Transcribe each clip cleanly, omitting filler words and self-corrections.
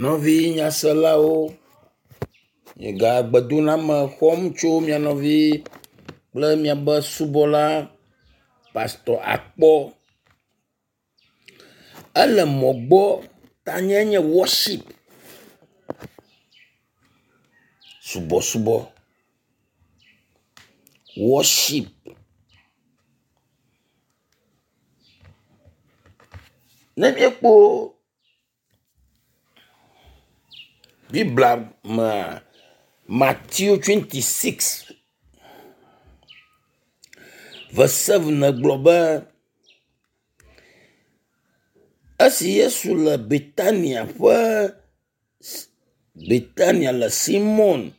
Nɔvi nyaselawo, miega gbedoname xɔm tso mia nɔvi kple miabe subɔla Pastor Akpɔ. Ele mɔ gbɔ tanye nye wɔship, subɔsubɔ, wɔship. Ne míekpɔ Biblia mea, Matthew 26 verse 7 gblɔ be esi Yesu le Betania ƒe Betania le Simon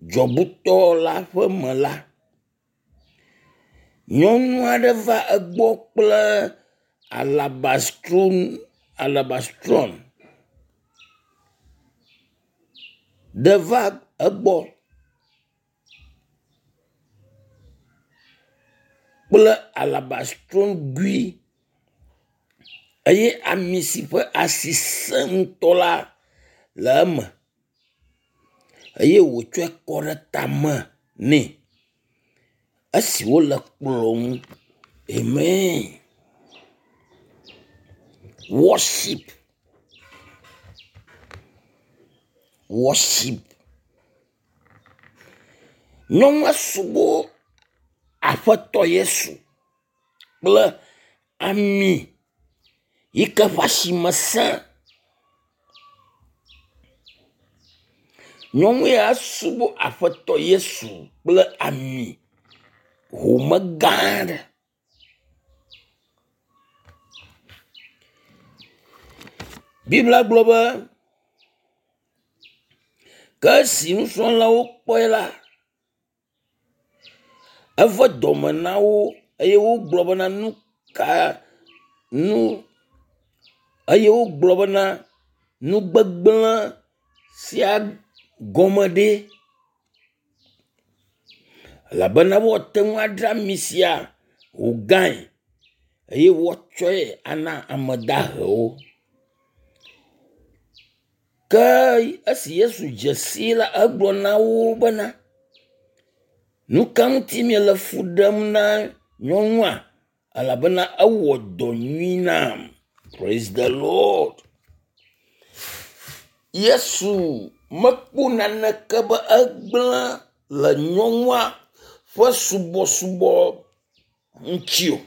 dzɔbutɔ la ƒe me la, nyɔnu aɖe va egbɔ kple alabastron alabastron ɖe va egbɔ kple alabastron gui eye ami si ƒe asi sẽ ŋutɔ la le eme eye wòtsɔe kɔ ɖe tame nɛ esi wole kplɔ ŋu. Amen. Worship. Worship. Nyɔnua subɔ Aƒetɔ Yesu kple ami yi ke ƒe asime sẽ. Nyɔnu ya subɔ Aƒetɔ Yesu kple ami home gã aɖe. Biblia gblɔ be ke esi nusrɔ̃lawo kpɔe la, eve dɔme na wo eye wogblɔ bena nu ka nu eye wogblɔ bena nu gbegblẽ sia gɔme ɖe? Elabena woate ŋu adzra ami sia wògãe eye woatsɔe ana ame dahewo. Ke esi Yesu dze sii la, egblɔ na wo bena, nu ka ŋuti miele fu ɖem na nyɔnua? Elabena ewɔ dɔ nyui nam. Praise the Lord. Yesu mekpɔ naneke be egblẽ le nyɔnua ƒe subɔsubɔ ŋuti o.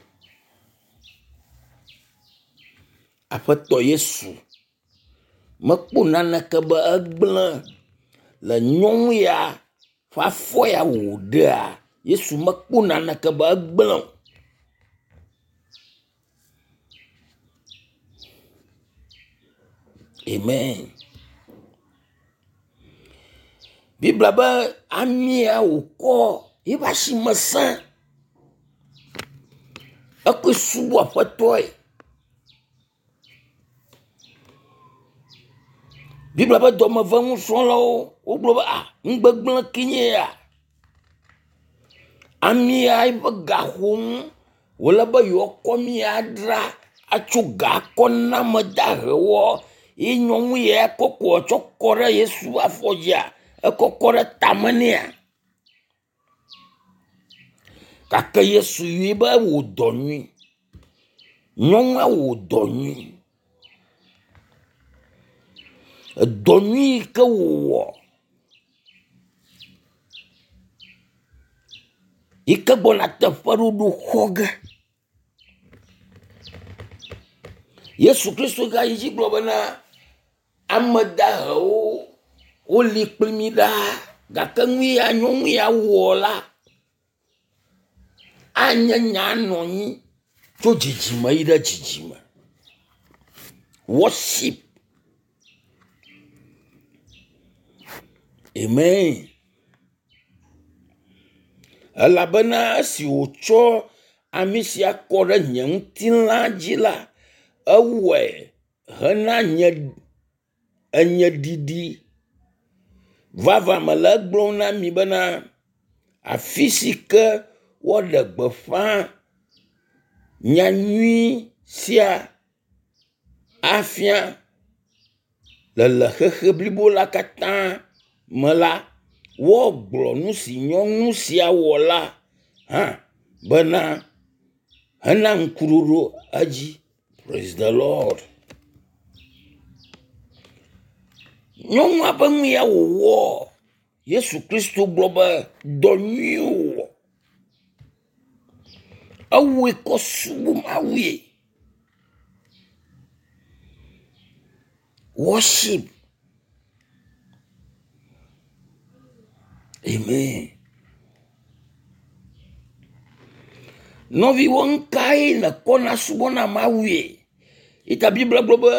Aƒetɔ Yesu mekpɔ naneke be egblẽ le nyɔnu ya ƒe afɔ ya wòɖea, Yesu mekpɔ naneke be egblẽ o. Amen. Biblia be amia wòkɔ yiƒe asime sẽ. Ekɔe subɔ Aƒetɔe. Biblia ƒe dɔmeve nusrɔ̃lawo wogblɔ be a nu gbegblẽ ke nye ya. Amea eƒe ga xɔm wòle be yewoakɔ amia adzra atso ga akɔ na ame dahewoa ye nyɔnu ya kɔ kɔ tsɔ kɔ ɖe Yesu ƒe afɔ dzia, ekɔ kɔ ɖe tame nɛa. Gake Yesu yɔe be ewɔ dɔ nyui. Nyɔnua wɔ dɔ nyui. Edɔ nyui yi ke wòwɔ yi ke gbɔna teƒeɖoɖo xɔ ge. Yesu Kristo gayi dzi gblɔ bena ame dahewo woli kpli mi ɖaa gake nu ya nyɔnu ya wɔ la anye nya anɔ anyi tso dzidzime yi ɖe dzidzime. Worship. Amen. Elabena esi wòtsɔ ami sia kɔ ɖe nye ŋutilã dzi la, ewɔe hena nye enye ɖiɖi. Vavã mele egblɔm na mi bena afi si ke woaɖe gbeƒã nyanyui sia afia. Le xexe blibo la katã me la, woagblɔ nu si nyɔnu sia wɔ la hã bena hena ŋkuɖoɖo edzi. Praise the Lord. Nyɔnua ƒe nu ya wòwɔ, Yesu Kristo gblɔ be dɔ nyui wòwɔ. Ewɔe kɔ subɔ Mawue. Worship. Amen. Nɔviwo nukae nèkɔna subɔna Mawue? Yi ta Biblia gblɔ be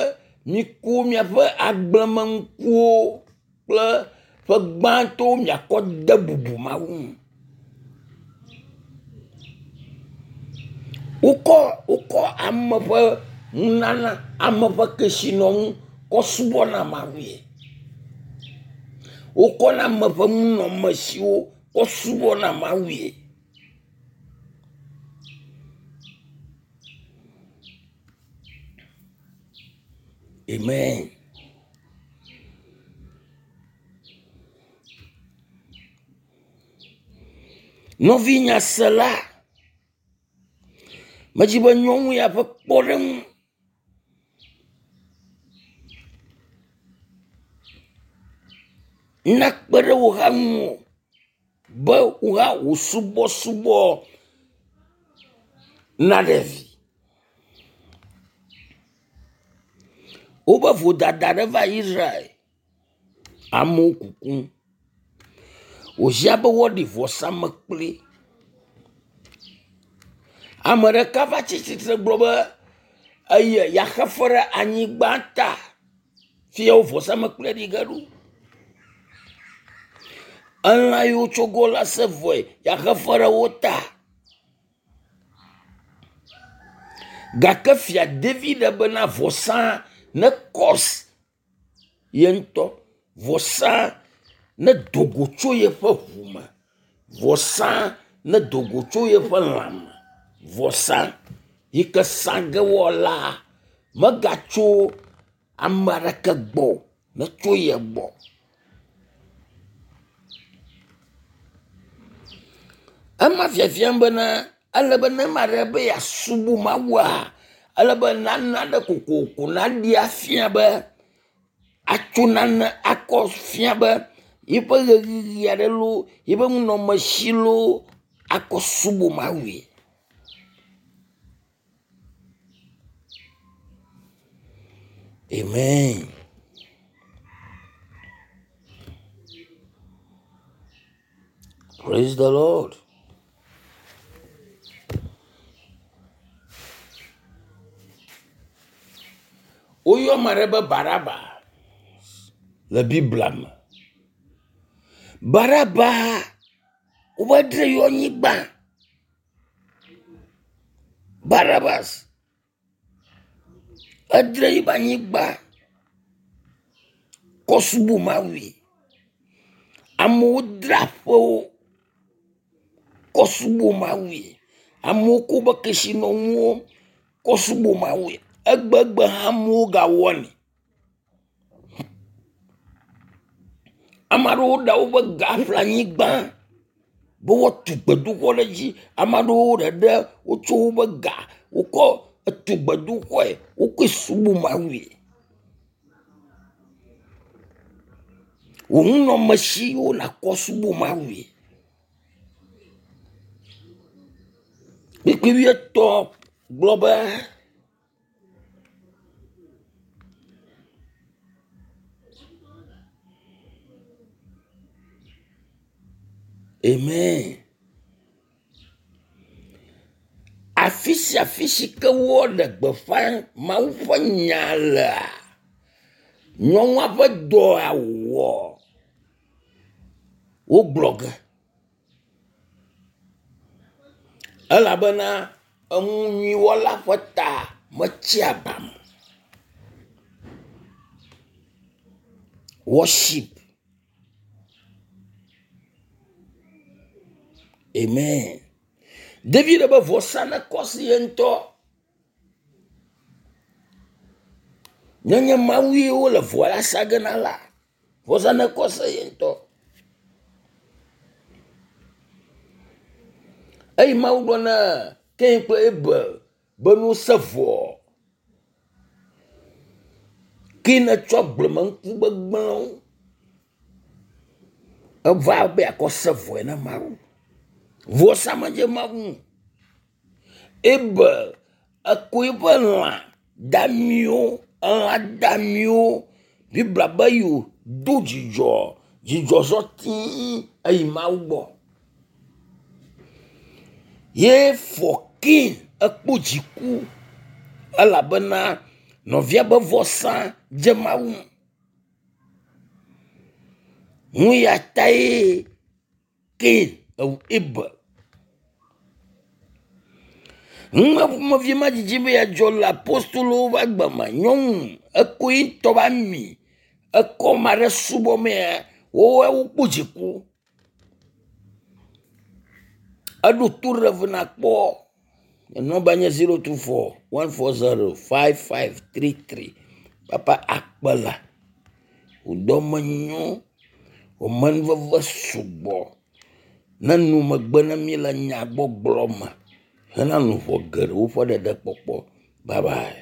miku miaƒe agblemenukuwo kple ƒe gbãtɔwo miakɔ de bubu Mawu ŋu. Wokɔ wokɔ ame ƒe nunana, ame ƒe kesinɔnu kɔ subɔna Mawue. Wokɔna ame ƒe nunɔamesiwo kɔ subɔna Mawue. Amen. Nɔvi nyasela, medzi be nyɔnu ya ƒe kpɔɖeŋu nakpe ɖe wò hã ŋuwò be wò hã wò subɔsubɔ naɖe vi. Woƒe vodada ɖe va Israel. Amewo kukum. Wòhiã be woaɖi vɔsamlekpui. Ame ɖeka va tsi tsitre gblɔ be eye yeaxe fe ɖe anyigba ta. Fia wo vɔsamlekpui ɖi ge ɖo. Elã yiwo wotso go la se vɔe yeaxe fe ɖe wo ta. Gake fia David bena vɔsa nekɔs ye ŋutɔ. Vɔsa nedo go tso yeƒe ʋu me. Vɔsa nedo go tso yeƒe lãme. Vɔsa yi ke sa ge woala megatso ame aɖeke gbɔ o, netso ye gbɔ. Ema fiafiam bena ele be ne ame aɖe be yeasubɔ Mawua, ele be nane aɖe kokoko naɖee afia be atso nane akɔ fia be yeƒe ʋeyiʋi aɖe loo, yeƒe nunɔamesi loo akɔ subɔ Mawue. Amen. Praise the Lord. Woyɔ ame aɖe be Baraba le Biblia me. Baraba wova dre yewo anyigba. Barabas edre yiƒe anyigba kɔ subɔ Mawue. Amewo dra aƒewo kɔ subɔ Mawue. Amewo kɔ woƒe kesinɔnuwo kɔ subɔ Mawue. Egbegbe hã amewo gawɔnɛ. Ame aɖewo ɖe woƒe ga ƒle anyigba be woatu gbedoxɔ ɖe edzi. Ame aɖewo ɖeɖe wotsɔ woƒe ga wokɔ tu gbedoxɔe. Wokɔe subɔ Mawue. Wò nunɔamesiwo nàkɔ subɔ Mawue. Kpukpui wuietɔ̃ gblɔ be. Amen. Afi sia afi si ke woɖe gbeƒã Mawu ƒe nya lea, nyɔnua ƒe dɔa wòwɔ wogblɔ ge. Elabena enu nyui wɔla ƒe ta metsia ba me o. Worship. Amen. David be vɔsa nekɔ si ye ŋutɔ. Nenye Mawu ye wole vɔ la sa ge na la, vɔsa nekɔ se ye ŋutɔ. Eye Mawu gblɔ na Kain kple Abel be ne wose vɔ. Kain etsɔ agblemenuku gbegblẽwo eva be yeakɔ se vɔe na Mawu. Vɔsa medze Mawu ŋu. Abel ekɔ eƒe lã damiwo, elã damiwo. Biblia be yewodo dzidzɔ, dzidzɔ zɔ tii eyi Mawu gbɔ. Ye fɔ Kain ekpɔ dziku elabena nɔvia be vɔsa dze Mawu ŋu. Nu ya tae Kain ewu Abel. Nu ma ƒomevi ma dzidzi be yeadzɔ le apostolowo ƒe agbe me. Nyɔnu ekɔ ye ŋutɔ ƒe ami ekɔ ame aɖe subɔ mea, woawo wokpɔ dziku. Eɖo to ɖe ve nakpɔ. Nɔmba nye 024 140 5533. Papa akpe la. Wò dɔme nyo, wò amenuveve sugbɔ. Ne nu megbe na mí le nyagbɔgblɔ me hena luʋɔ geɖewo ƒe ɖeɖekpɔkpɔ. Bye bye.